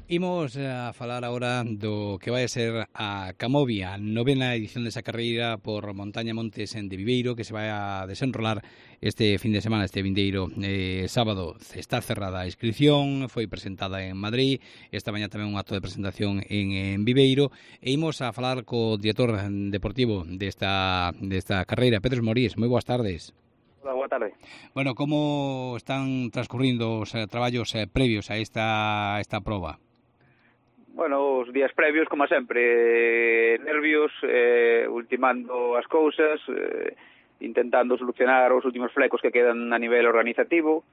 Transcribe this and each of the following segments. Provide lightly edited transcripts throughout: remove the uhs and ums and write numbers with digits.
Imos a falar agora do que vai a ser a Camovia, novena edición desa carreira por Montaña Montes de Viveiro, que se vai a desenrolar este fin de semana, este vindeiro sábado. Está cerrada a inscripción, foi presentada en Madrid, esta mañá tamén un acto de presentación en Viveiro, e imos a falar co director deportivo desta carreira, Pedro Morís. Moi boas tardes. Hola, boa tarde. Bueno, como están transcurrindo os traballos previos a esta proba? Bueno, os días previos, como sempre, nervios, ultimando as cousas, intentando solucionar os últimos flecos que quedan a nivel organizativo,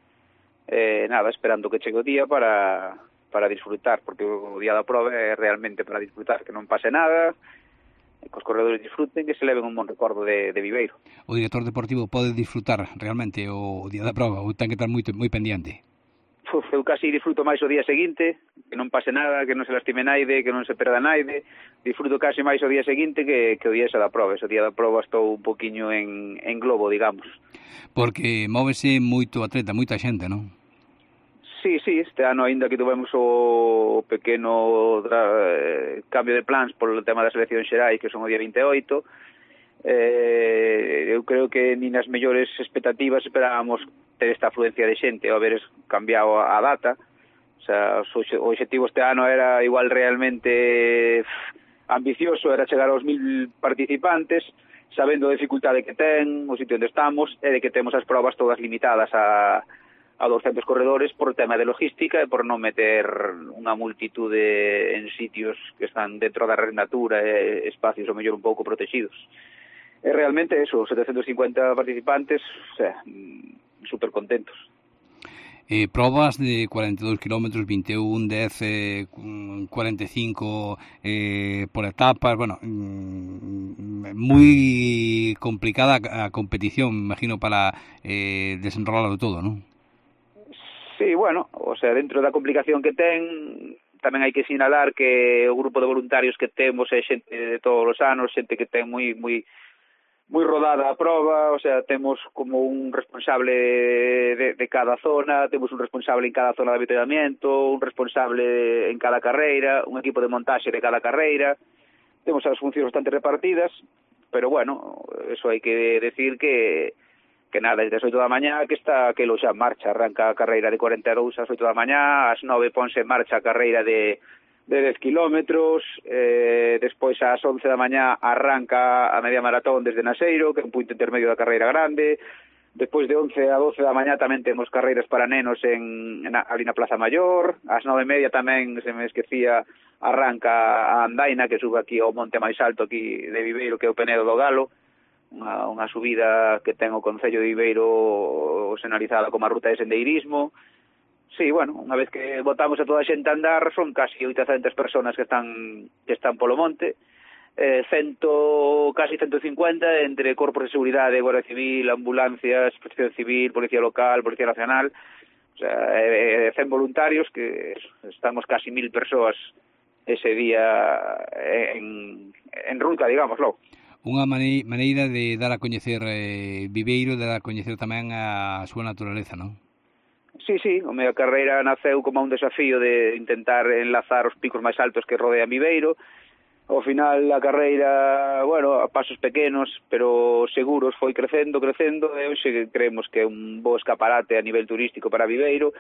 nada, esperando que chegue o día para disfrutar, porque o día da prova é realmente para disfrutar, que non pase nada, que os corredores disfruten e se leven un bon recordo de Viveiro. O director deportivo pode disfrutar realmente o día da prova ou ten que estar moi pendiente? Eu casi disfruto máis o día seguinte, que non pase nada, que non se lastime naide, que non se perda naide. Disfruto casi máis o día seguinte que o día esa da prova. Ese día da prova estou un poquinho en globo, digamos. Porque móvese moito atleta, moita xente, non? Sí, este ano aínda que tuvemos o pequeno cambio de plans polo tema das eleccións xerais, que son o día 28, eu creo que nin as mellores expectativas esperábamos ter esta afluencia de xente ao haber cambiado a data. O sea, o objetivo este ano era igual realmente ambicioso, era chegar aos 1000 participantes, sabendo a dificultade que ten, o sitio onde estamos, e de que temos as probas todas limitadas a 200 corredores por tema de logística e por non meter unha multitude en sitios que están dentro da red natura e espacios o mellor un pouco protegidos. E realmente eso, 750 participantes, o sea, super contentos. Probas de 42 km, 21, 10, 45 por etapas, bueno, moi complicada a competición, me imagino, para desenrolarlo todo, non? Sí, bueno, o sea, dentro da complicación que ten, tamén hai que sinalar que o grupo de voluntarios que temos é xente de todos os anos, xente que ten moi rodada a prova, o sea, temos como un responsable de cada zona, temos un responsable en cada zona de avituallamiento, un responsable en cada carreira, un equipo de montaxe de cada carreira, temos as funcións bastante repartidas, pero bueno, eso hai que decir que nada, desde as 8 da mañá que está aquelo xa en marcha, arranca a carreira de 42 ás 8 da mañá, ás 9 ponse en marcha a carreira de 10 kilómetros, despois ás 11 da mañá arranca a media maratón desde Naseiro, que é un punto intermedio da carreira grande. Despois de 11 a 12 da mañá tamén temos carreiras para nenos ali na Plaza Maior. Ás 9:30 tamén, se me esquecía, arranca a andaina que sube aquí ao monte máis alto aquí de Viveiro, que é o Penedo do Galo, unha subida que ten o Concello de Viveiro sinalizada como a ruta de sendeirismo. Sí, bueno, unha vez que botamos a toda a xente a andar, son casi 800 personas que están polo monte, casi 150 entre corpos de seguridade, Guardia Civil, ambulancias, Protección Civil, Policía Local, Policía Nacional, o sea, 100 voluntarios, que estamos casi 1000 persoas ese día en ruta, digámoslo. Unha maneira de dar a coñecer Viveiro, de dar a coñecer tamén a súa naturaleza, non? Sí, a miña carreira naceu como un desafío de intentar enlazar os picos máis altos que rodean Viveiro. Ao final a carreira, bueno, a pasos pequenos, pero seguros, foi crecendo, e hoxe creemos que é un bo escaparate a nivel turístico para Viveiro.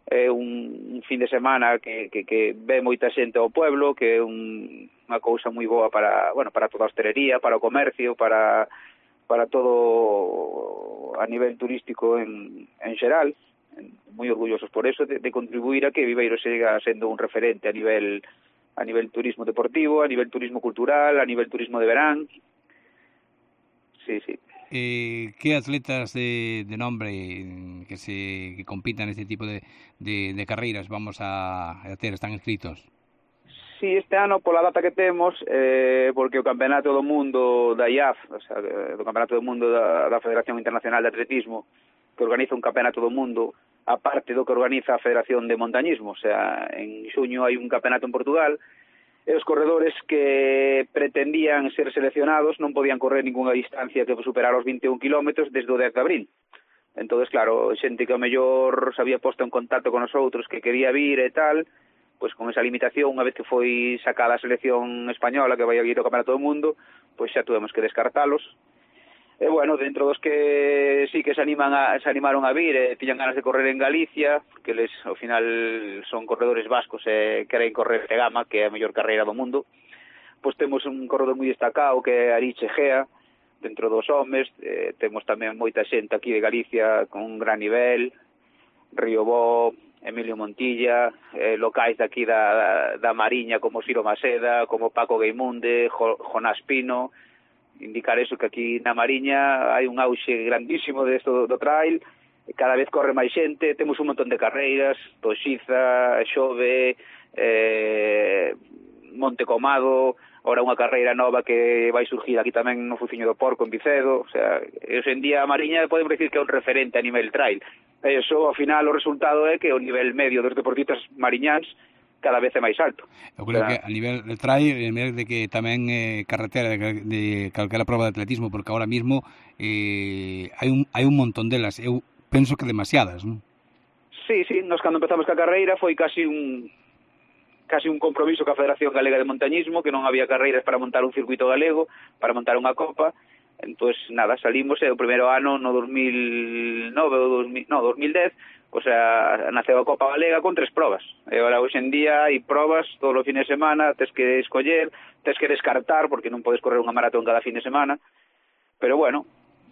É un fin de semana que ve moita xente ao pueblo, que é unha cousa moi boa para toda a hostelería, para o comercio, para todo a nivel turístico en xeral. Moi orgullosos por eso de contribuir a que Viveiro siga sendo un referente a nivel turismo deportivo, a nivel turismo cultural, a nivel turismo de verán. Sí. Que atletas de nombre que compitan este tipo de carreiras vamos a ter, están inscritos? Sí, este ano pola data que temos, porque o Campeonato do Mundo da IAF, o sea, do Campeonato do Mundo da Federación Internacional de Atletismo, que organiza un Campeonato do Mundo aparte do que organiza a Federación de Montañismo, o sea, en xuño hai un campeonato en Portugal, e os corredores que pretendían ser seleccionados non podían correr ninguna distancia que superara os 21 kilómetros desde o 10 de abril. Entón, claro, xente que ao mellor se había posto en contacto con os outros que quería vir e tal, pois con esa limitación, unha vez que foi sacada a selección española que vai a ir ao Campeonato do Mundo, pois xa tuvemos que descartalos. E bueno, dentro dos que sí que se animaron a vir, tiñan ganas de correr en Galicia, porque eles ao final son corredores vascos e queren correr de Gama, que é a mellor carreira do mundo. Pois temos un corredor moi destacado que é Ariche Egea, dentro dos homes. Temos tamén moita xente aquí de Galicia con un gran nivel, Río Bo, Emilio Montilla, locais de aquí da Mariña como Ciro Maseda, como Paco Gaimunde, Jonás Pino. Indicar eso, que aquí na Mariña hai un auxe grandísimo desto do trail, cada vez corre máis xente, temos un montón de carreiras, Toxiza, Xove, Monte Comado, ora unha carreira nova que vai surgir aquí tamén no Fuciño do Porco, en Vicedo. O sea, hoxe en día a Mariña podemos decir que é un referente a nivel trail. E iso, ao final, o resultado é que o nivel medio dos deportistas mariñáns cada vez é máis alto. Eu creo que a nivel de trail, a nivel de que tamén carretera de calquera prova de atletismo, porque ahora mismo hai un montón delas. Eu penso que demasiadas, non? Sí, nós cando empezamos ca carreira foi casi un compromiso ca Federación Galega de Montañismo, que non había carreiras para montar un circuito galego, para montar unha copa. Entón, nada, salimos e o primeiro ano, no 2010, o sea, naceu a Copa Galega con 3 probas. E agora, hoxe en día, hai probas todos os fines de semana, tes que escoller, tes que descartar, porque non podes correr unha maratón cada fin de semana. Pero, bueno,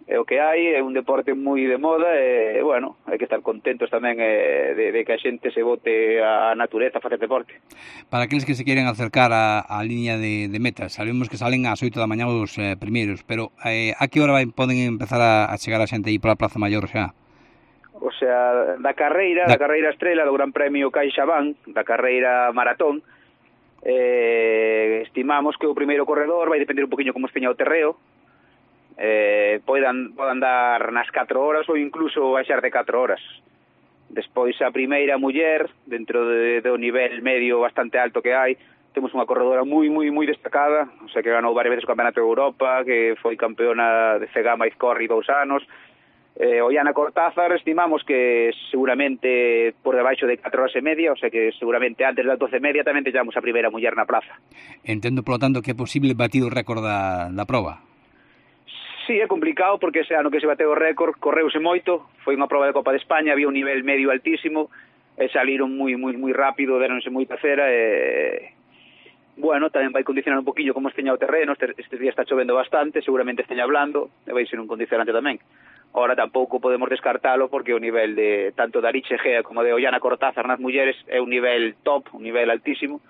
é o que hai, é un deporte moi de moda, e, bueno, hai que estar contentos tamén de que a xente se bote a natureza a facer deporte. Para aqueles que se queren acercar á liña de metas, sabemos que salen ás 8 da mañá os primeiros, pero a que hora poden empezar a chegar a xente aí pola Praza Maior xa? O sea, da carreira estrela do Gran Premio CaixaBank, da carreira maratón, estimamos que o primeiro corredor vai depender un poquinho como esteña o terreo, podan dar nas 4 horas ou incluso baixar de 4 horas. Despois a primeira muller, dentro do nivel medio bastante alto que hai, temos unha corredora moi destacada, o sea, que ganou varias veces o Campeonato de Europa, que foi campeona de Cegama Izcorri 2 anos. Ollana Cortázar estimamos que seguramente por debaixo de 4 horas e media, o sea que seguramente antes das 12 e media tamén temos a primeira muller na plaza. Entendo, polo tanto, que é posible batir o récord da prova. Sí, é complicado porque ese ano que se bateu o récord correuse moito, foi unha prova de Copa de España, había un nivel medio altísimo e saliron moi rápido, deronse moita cera e bueno, tamén vai condicionar un poquillo como esteña o terreno. Este día está chovendo bastante, seguramente esteña blando e vai ser un condicionante tamén. Ahora tampouco podemos descartalo porque o nivel de tanto de Ariche Egea como de Ollana Cortázar nas mulleres é un nivel top, un nivel altísimo,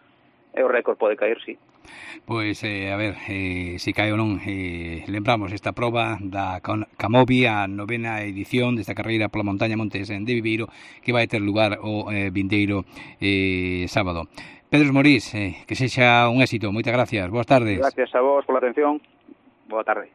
e o récord pode caer, sí. Pois, a ver, se cae ou non, lembramos esta proba da Camovi, a 9ª edición desta carreira pola montaña Montes de Viveiro, que vai ter lugar o vindeiro sábado. Pedro Morís, que sexa un éxito, moitas gracias, boas tardes. Gracias a vos pola atención, boa tarde.